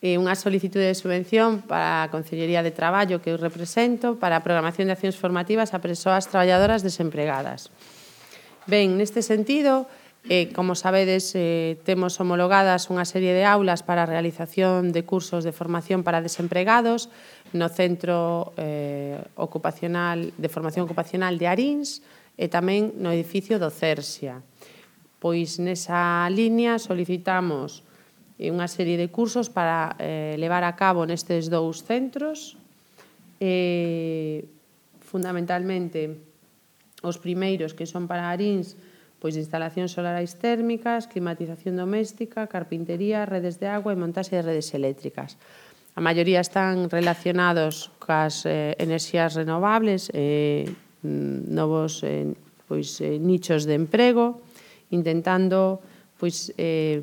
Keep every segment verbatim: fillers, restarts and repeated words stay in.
e unha solicitude de subvención para a Consellería de Traballo que eu represento para a programación de accións formativas a persoas traballadoras desempregadas. Ben, neste sentido, eh, como sabedes, eh, temos homologadas unha serie de aulas para a realización de cursos de formación para desempregados no Centro eh, ocupacional de Formación Ocupacional de Arins e tamén no edificio do Cersia. Pois nesa línea solicitamos unha serie de cursos para eh, levar a cabo nestes dous centros. Eh, fundamentalmente, os primeiros que son para Arins, pois instalacións solarais térmicas, climatización doméstica, carpintería, redes de agua e montaxe de redes eléctricas. A maioría están relacionados cas eh, enerxías renovables, eh, novos eh, pois, eh, nichos de emprego, intentando pois, eh,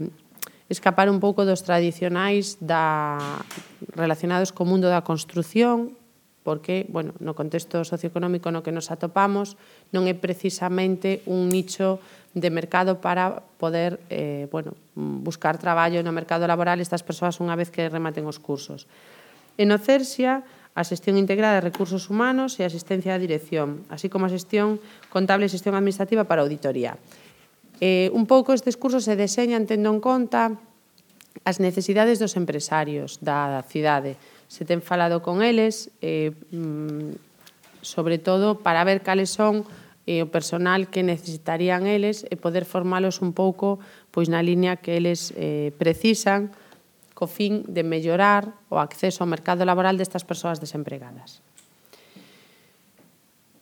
escapar un pouco dos tradicionais da, relacionados co mundo da construción, porque, bueno, no contexto socioeconómico no que nos atopamos non é precisamente un nicho de mercado para poder eh, bueno, buscar traballo no mercado laboral estas persoas unha vez que rematen os cursos. En o Cersia, a xestión integrada de recursos humanos e a asistencia á dirección, así como a xestión contable e xestión administrativa para auditoría. Eh, un pouco estes cursos se deseñan tendo en conta as necesidades dos empresarios da cidade. Se ten falado con eles, eh, sobre todo para ver cales son eh, o personal que necesitarían eles e poder formalos un pouco pois na línea que eles eh, precisan co fin de mellorar o acceso ao mercado laboral destas persoas desempregadas.